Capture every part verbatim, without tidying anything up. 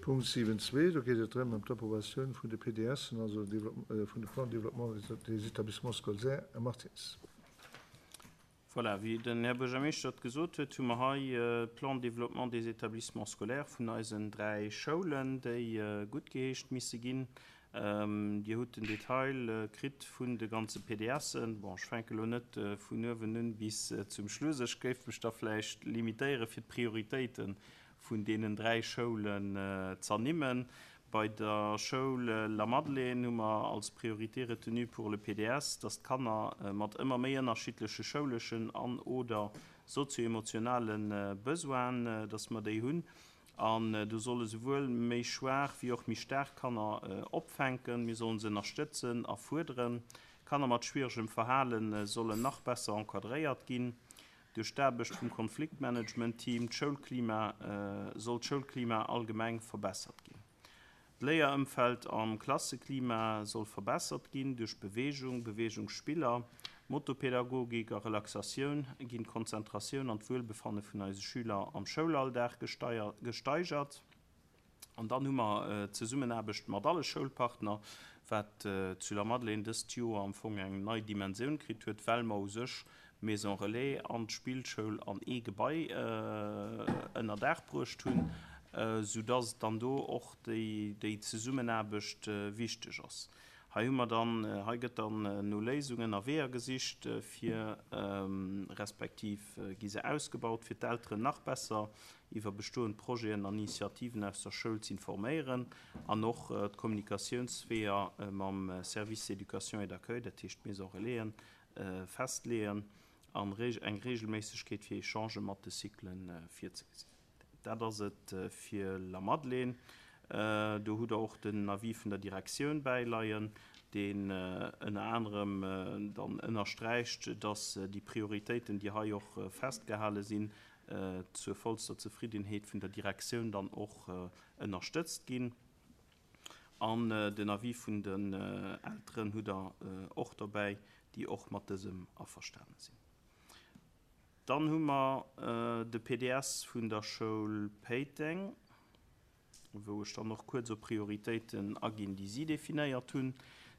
Punkt siwen zwee, do geet et drëm ëm d'Approbatioun vun de P D Sen, also vun de Plan de développement des établissements scolaires. Här Martins. Voilà, wéi den Här Buergermeeschter et gesot huet, hu mer hei Plan de développement des établissements scolaires vun eisen dräi Schoulen, déi guttgeheescht misse ginn. Dir hutt den Detail kritt vun de ganze P D Sen. Bon, ech fänke lo net vun uewen un bis zum Schluss. Ech géif mech da vläicht limitéiere fir d'Prioritéite vun deenen dräi Schoulen z'ernimmen. Bei der Schoul Lamadelaine hu mer als Priorité retenue pour le P D S, dass d'Kanner mat ëmmer méi ënnerschiddleche schouleschen an oder sozio-emotionale Besoinen, dass mer déi hunn. An do solle souwuel méi schwaach wéi och méi staark Kanner opfänken. Mir sollen se ënnerstëtzen a fuerderen. Kanner mat schwieregem Verhale sollen nach besser encadréiert ginn. Duerch d'Aarbecht vum Konfliktmanagement-Team, d'Schoulklima, soll d'Schoulklima allgemeng verbessert ginn. D'Léierëmfeld am Klasseklima soll verbessert ginn duerch Beweegung, Beweegungsspiller, Motopädagogik a Relaxatioun ginn d'Konzentratioun an d'Wuelbefanne vun eise Schüler am Schoulalldag gesteigert. An dann hu mer d'Zesummenaarbecht mat alle Schoulpartner, wat zu Lamadelaine dëst Joer am Fong eng nei Dimensioun kritt huet, well mer u sech d'Maison Relais an d'Spillschoul an ee Gebai ënner Daach bruecht hunn, soudass dann do och déi Zesummenaarbecht wichteg ass. Hei hu mer dann, hei gëtt dann no Léisungen a Weeër gesicht fir, respektiv gi se ausgebaut, fir d'Elteren nach besser iwwer bestoend Projeten an Initiativen aus der Schoul z'informéieren an och d'Kommunikatiounsweeër mam Service d'éducation et d'accueil, dat heescht d'Maison Relaisen, festleeën an eng Reegelméissegkeet fir Echangë mat de Cyclen virzegesinn. Dat ass et fir Lamadelaine. Do hutt Der och den Avis vun der Direktioun bäileien, deen ënner anerem dann ënnersträicht, dass déi Prioritéiten, déi hei och festgehale sinn, zur vollster Zefriddenheet vun der Direktioun dann och ënnerstëtzt ginn. An den Avis vun den Elteren hutt Der och dobäi, déi och mat dësem averstane sinn. Dann hu mer de P D S vun der Schoul Péiteng, wou ech dann och kuerz op Prioritéiten aginn, déi si definéiert hunn.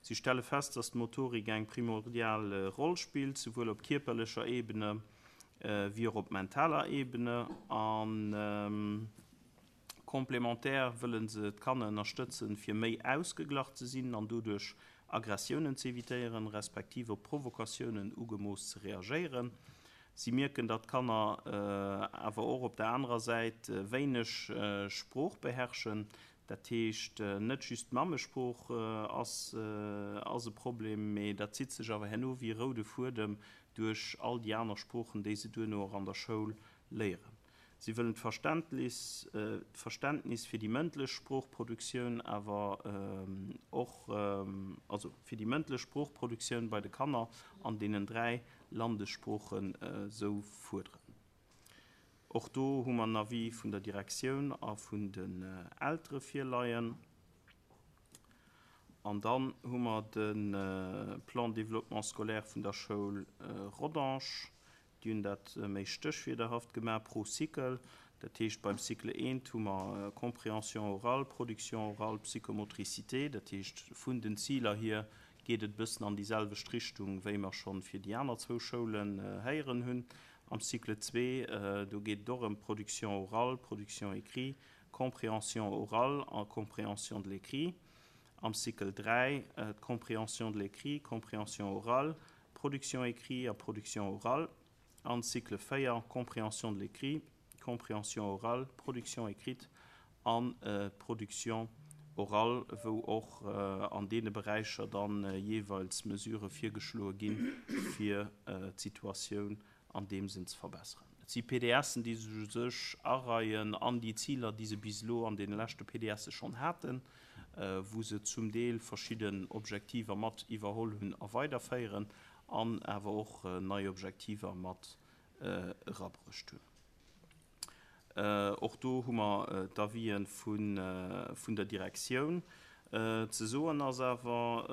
Si stelle fest, dass d'Motorik eng primordial Roll spillt, souwuel op kierperlecher Ebene wéi och op mentaler Ebene. A komplementär wëlle se d'Kanner ënnerstëtzen, fir méi ausgeglach ze sinn an doduerch Aggressiounen ze evitéieren, respektiv op Provokatiounen ugemooss ze reagéieren. Si mierken, datt d'Kanner awer och op der anerer Säit wéineg Sprooch beherrschen. Dat heescht, net just d'Mammesprooch ass ass e Problem, mee dat zitt sech awer herno wéi e roude Fuedem duerch all déi aner Sproochen, déi se duerno och an der Schoul léieren. Si wëllen d'Verständnis d'Verständnis fir déi mëndlech Sproochproduktioun awer och, also fir déi mëndlech Sproochproduktioun bei de Kanner an deenen dräi Landessproochen esou fuerderen. Och do hu mer en Avis vun der Direktioun a vun den Eltere virleien. An dann hu mer de Plan de développement scolaire vun der Schoul Rodange. Déi hunn dat méi stéchwierderhaft gemaach pro Cycle. Dat heescht, beim Cycle eent hu mer Compréhension orale, Production orale, Psychomotricité. Dat heescht, vun den Ziler hier geet et e bëssen an déi selwecht Richtung, wéi mer schonn fir déi aner zwou Schoulen héieren hunn. Am Cycle zwee, do geet et och ëm Production orale, Production écrit, Compréhension orale a Compréhension de l'écrit. Am Cycle dräi d'Compréhension de l'écrit, Compréhension orale, Production écrit a Production orale. An Cycle véier Compréhension de l'écrit, Compréhension orale, Production écrite an Production orale, wou och an deene Beräicher dann jeeweils Mesurë virgeschloe ginn, fir d'Situatioun an deem Sënn ze verbesseren. Et si P D Sen, déi sech u sech areien an déi Ziler, déi se bis elo an deene leschte P D Se schonn haten, wou se zum Deel verschidden Objektiver mat iwwerholl hunn a weiderféieren an awer och nei Objektiver mat erabruecht hunn. Och do hu mer d'Avisen vun der Direktioun. Ze soen ass awer,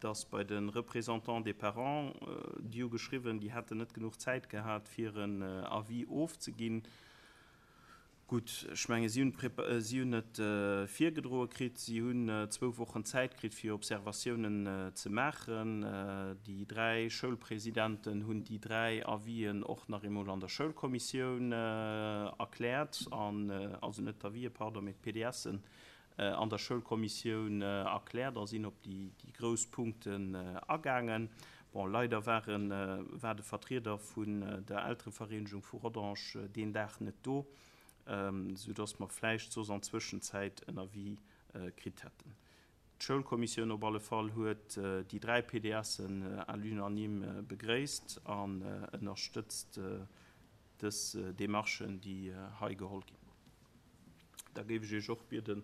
dass bei de Représentants des parents, déi hu geschriwwen, déi hätten net genuch Zäit gehat, fir en Avis ofzeginn. Gutt, ech menge si hunn si hunn et virgedroe kritt, si hunn zwou Wochen Zäit kritt fir Observatiounen ze maachen. Déi dräi Schoulpresidenten hunn déi dräi Avisen och nach eemol an der Schoulkommissioun erkläert an also net d'Avisen, pardon, mee d'PDSen an der Schoulkommissioun erkläert a sinn op déi déi grouss Punkten agaangen. Bon, leider waren war de Vertrieder vun der Elterevereenegung vu Rodange deen Dag net do, soudass mer vläicht soss an Zwëschenzäit en Avis kritt hätten. D'Schoulkommissioun op alle Fall huet déi dräi PDSen à l'unanime begréisst an ënnerstëtzt dës Demarchen, déi hei geholl ginn. Da géif ech Iech och bieden,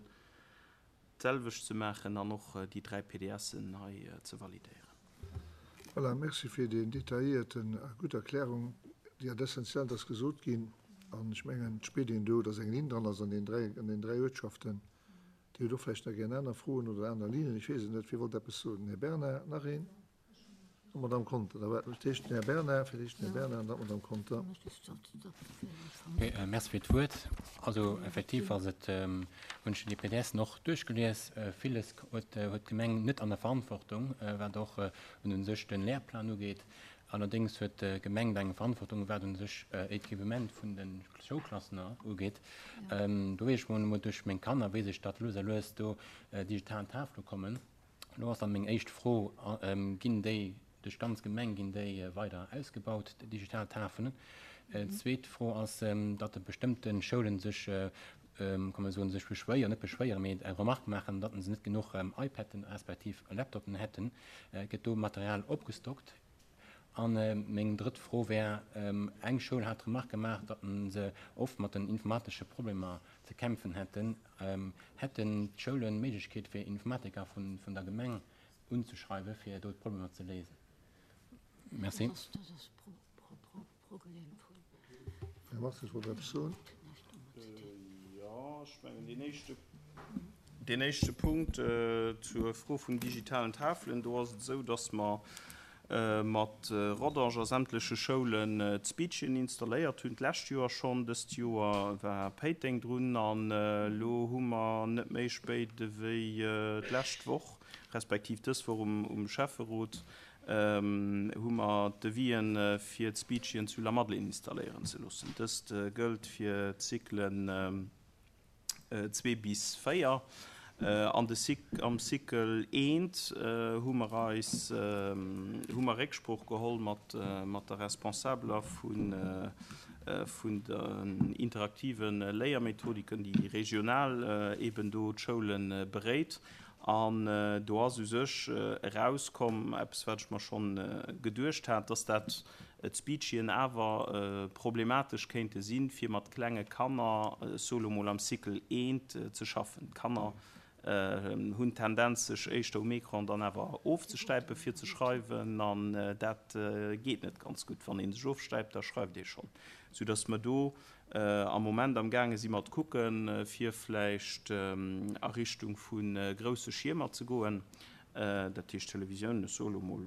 d'selwecht ze maachen an och déi dräi PDSen hei ze validéieren. Voilà, merci fir déi detailléierten a gutt Erklärung. Déi hat Essentiellt ass gesot ginn. An ech mengen, et spiert een do, dass eng Linn dran ass an den dräi, an den dräi Uertschaften. Dir hutt och vläicht nach gär aner Froen oder aner Linnen, ech weess et net. Wie wollt eppes soen? Den Här Bernard, nach een? An d'Madame Conter. Da war fir d'éischt den Här Bernard, fir d'éischt den Här Bernard an dann d'Madame Conter. Okay, merci fir d'Wuert. Also effektiv ass et, hunn ech déi PDSen och duerchgelies. Villes huet, huet d'Gemeng net an der Verantwortung, wat och un sech de Lehrplan ugeet. Allerdéngs huet d'Gemeng eng Verantwortung, wat un sech Equipement vun de Schoulklassen ugeet. Do weess ech mol duerch meng Kanner, weess ech, datt lues a lues do digital Tafele kommen. Elo ass dann meng éischt Fro, Ginn déi duerch d'ganz Gemeng, ginn déi weider ausgebaut, déi digital Tafelen? Zweet Fro ass, datt bestëmmte Schoulen sech, kann man soen, sech beschwéieren, net beschwéieren, mee eng Remarque maachen, datt se net genuch iPaden respektiv Laptopen hätten. Gëtt do Material opgestockt? An meng drëtt Fro wär, Eng Schoul hat d'Remarque gemaach, datt se oft mat den informatesche Problemer ze kämpfen hätten. Hätten d'Schoulen d'Méiglechkeet, fir Informatiker vun der Gemeng unzeschreiwen, fir do d'Problemer ze léisen? Merci. Här Martins wollt eppes soen. Jo, ech mengen, deen éischte, deen éischte Punkt zur Fro vun digitalen Tafelen, do ass et esou, datt mer mat Rodange a sämtleche Schoulen d'Speechen installéiert hunn, d'lescht Joer schonn. Dëst Joer war Péiteng drun an elo hu mer net méi spéit ewéi d'lescht Woch, respektiv dës Woch um Schäfferot, hu mer d'Devis'en fir d'Speechen zu Lamadelaine installéieren ze loossen. Dëst gëllt fir d'Cyclen zwee bis véier. An de Cyc, am Cycle eent hu mer eis, hu mer Récksprooch geholl mat, mat der Responsabeler vun, vun den interaktive Léiermethodiken, déi regional eben do d'Schoule beréit. An do ass u sech erauskomm, eppes wat ech mer schonn geduecht hat, dass dat d'Speechien awer problematesch kéinte sinn, fir mat klenge Kanner, ech soe lo mol am Cycle eent, ze schaffen. D'Kanner hunn d'Tendenz, sech éischter um Ecran dann awer ofzestäipen, fir ze schreiwen, an dat geet net ganz gutt. Wann ee sech ofstäipt, da schreift ee schonn. Soudass mer do am Moment amgaange si mat kucken, fir vläicht a Richtung vu grousse Schiermer ze goen, dat heescht Televisioun, ech soe lo mol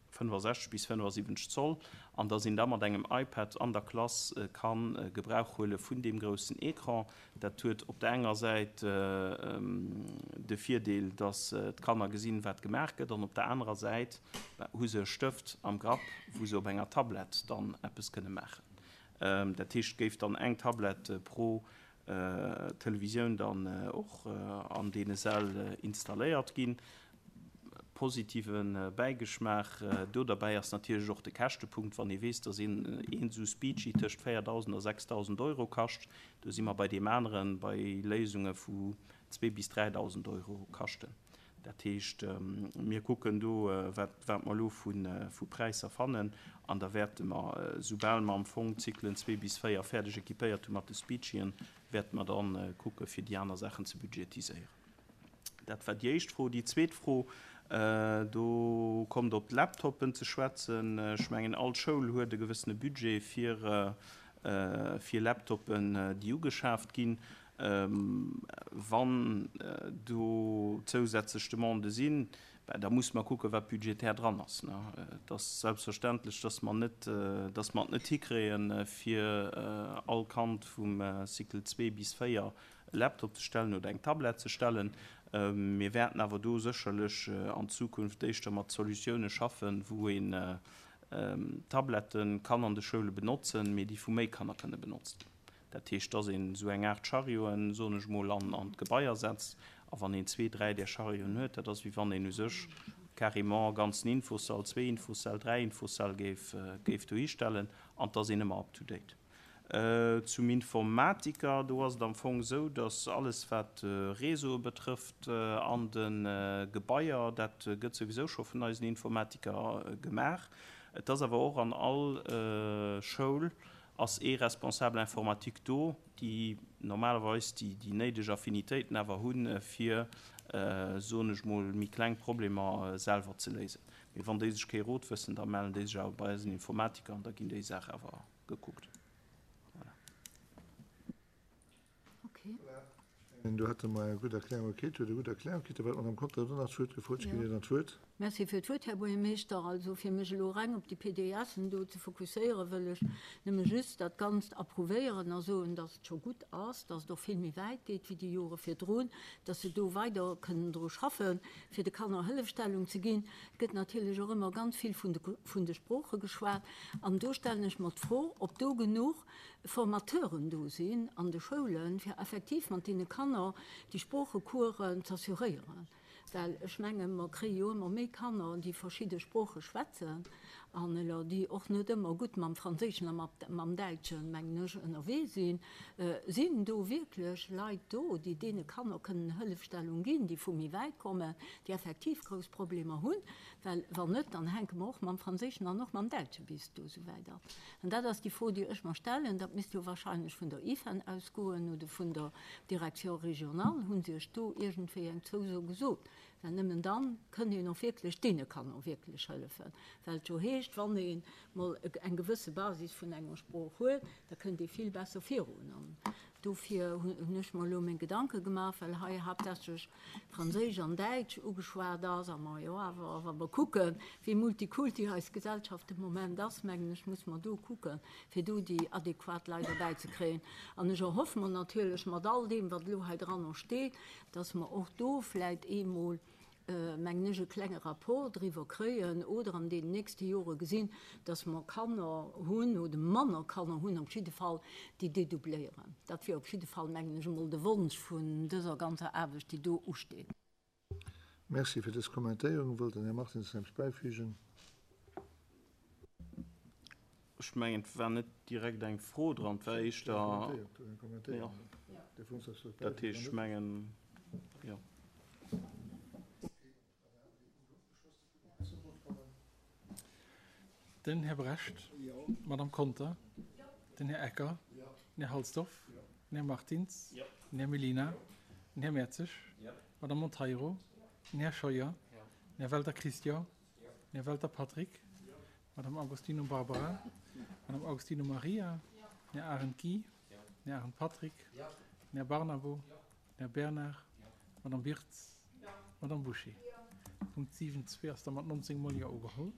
fënnefasechzeg bis fënnefasiwwenzeg Zoll, an dass een da mat engem iPad an der Klass ka Gebrauch huele vun deem groussen Ecran. Dat huet op der enger Säit de Virdeel, dass d'Kanner gesinn, wat gemaach gëtt, an op der anerer Säit hu se e Stëft am Grapp, wou se op enger Tablett dann eppes kënne maachen. Dat heescht, et géif dann eng Tablett pro Televisioun dann och an deene Säll installéiert ginn. Positive Bäigeschmaach do derbäi ass natierlech och de Käschtepunkt, wann ee weess, dass een esou Speechy tëscht véierdausend a sechsdausend Euro kascht. Do si mer bei deem aneren, bei Léisunge vu zwee bis dräidausend Euro kaschten. Dat heescht, mir kucken do, wat wat mer elo vu vu Präisser fannen, an da wäerte mer, soubal mer am Fong d'Zyklen zwee bis véier fäerdeg équipéiert hu mat de Speechien, wäerte mer dann kucke fir déi aner Saachen ze budgetiséieren. Dat war déi éischt Fro. Déi zweet Fro, do kommt op d'Laptoppen ze schwätzen. Ech mengen, all Schoul huet e gewëssene Budget fir fir Laptoppen, déi ugeschaaft ginn. Wann do zousätzlech Demandë sinn, Da muss mer kucken, wat budgetär dran ass. Ne? Et ass selbstverständlech, dass mer net, dass mer et net hikréien, fir all Kand vum Cycle zwee bis véier e Laptop ze stellen oder eng Tablett ze stellen. Mir wäerten awer do sécherlech an Zukunft éischter mat Solutioune schaffen, wou een Tablette kann an de Schoule benotzen, mee déi vu méi Kanner kënne benotzt ginn. Dat heescht, dass een esou eng Aart Charioten, soen ech mol, an d'Gebaier setzt. A wann een zwee, dräi där Charioten huet, dat ass wéi wann een u sech carrément e ganzen Infossall, zwee Infosäll, dräi Infosäll géif, géif dohistellen an et ass een ëmmer up to date. Zum Informatiker, do ass et am Fong esou, dass alles wat Réseaue betrëfft an de Gebaier, dat gëtt souwisou scho vun eisen Informatiker gemaach. Et ass awer och an all Schoul ass ee Responsable informatique do, déi normalerweis déi déi néideg Affinitéiten awer hunn, fir, soen ech mol, méi kleng Problemer selwer ze léisen. Mee wann déi sech kee Rot wëssen, da mellen déi sech awer bei eisen Informatiker an da ginn déi Saache awer gekuckt. Voilà. Okay. Do hätte mer eng gutt Erklärung kritt, huet e gutt Erklärung kritt. Da war d'Madame Conter huet och nach d'Wuert gefrot. Ech ginn Iech dann d'Wuert. Merci fir d'Wuert, Här Buergermeeschter. Also fir mech elo reng op déi PDSen do ze fokusséieren, wëll ech nëmme just dat Ganzt approuvéieren a soen, dass et scho gutt ass, dass et och vill méi wäit geet wéi déi Jore virdrun, dass se do weider kënnen dru schaffen, fir de Kanner Hëllefstellung ze ginn. Et gëtt natierlech och ëmmer ganz vill vun de, vun de Sprooche geschwat. An do stellen ech mer d'Fro, ob do genuch Formateuren do sinn an de Schoulen, fir effektiv mat deene Kanner déi Sproochecoursen z'assuréieren. Well ech mengen, mer kréie jo ëmmer méi Kanner, déi verschidde Sprooche schwätzen an elo déi och net ëmmer gutt mam Franséischen a mam Däitschen, mengen ech, ënnerwee sinn. Sinn do wierklech Leit do, déi deene Kanner kënnen Hëllefstellung ginn, déi vu méi wäit kommen, déi effektiv grouss Problemer hunn? Well wann net, dann hänke mer och mam Franséischen an och mam Däitsche bis do esouwäit ab. An dat ass déi Fro, déi ech mer stellen. Dat misst jo wahrscheinlech vun der IFEN ausgoen oder vun der Direction régionale. Hu se Iech do iergendwéi eng Zouso gesot? Well nëmmen dann kënnt een och wierklech deene Kanner wierklech hëllefen. Well et jo heescht, wann ee mol eng gewësse Basis vun enger Sprooch huet, da kënnt ee vill besser virun. An dofir hunn ech mer elo meng Gedanke gemaach, well hei haaptsächlech Franséisch an Däitsch ugeschwat ass a mer jo awer, wa mer kucken, wéi multikulti eis Gesellschaft de Moment ass, mengen ech, muss mer do kucken, fir do déi adequat Leit erbäizekréien. An ech erhoffe mer natierlech mat all deem, wat elo hei dran och steet, dass mer och do vläicht eemol, mengen ech, e klenge Rapport driwwer kréien oder an deenen nächste Jore gesinn, dass mer Kanner hunn oder manner Kanner hunn op jidde Fall, déi dedoubléieren. Dat wier op jidde Fall, mengen ech, emol de Wonsch vun dëser ganzer Aarbecht, déi do usteet. Merci fir dës Kommentéierung. Wëllt den Här Martins nach eppes bäifügen? Ech mengen, et war net direkt eng Fro dran, et war éischter, jo, dat heescht, ech mengen, jo. Den Här Brecht, d'Madame Conter, den Här Ecker, den Här Halsdorf, den Här Martins, den Här Mellina, den Här Mertzig, d'Madame Monteiro, den Här Scheuer, den Här Welter Christian, den Här Welter Patrick, d'Madame Agostino Barbara, d'Madame Agostino Maria, den Här Arendt Guy, den Här Arendt Patrick, den Här Barnabo, den Här Bernard, d'Madame Birtz, d'Madame Bouché. Punkt siwen zwee ass da mat nonzéng Mol Jo ugeholl.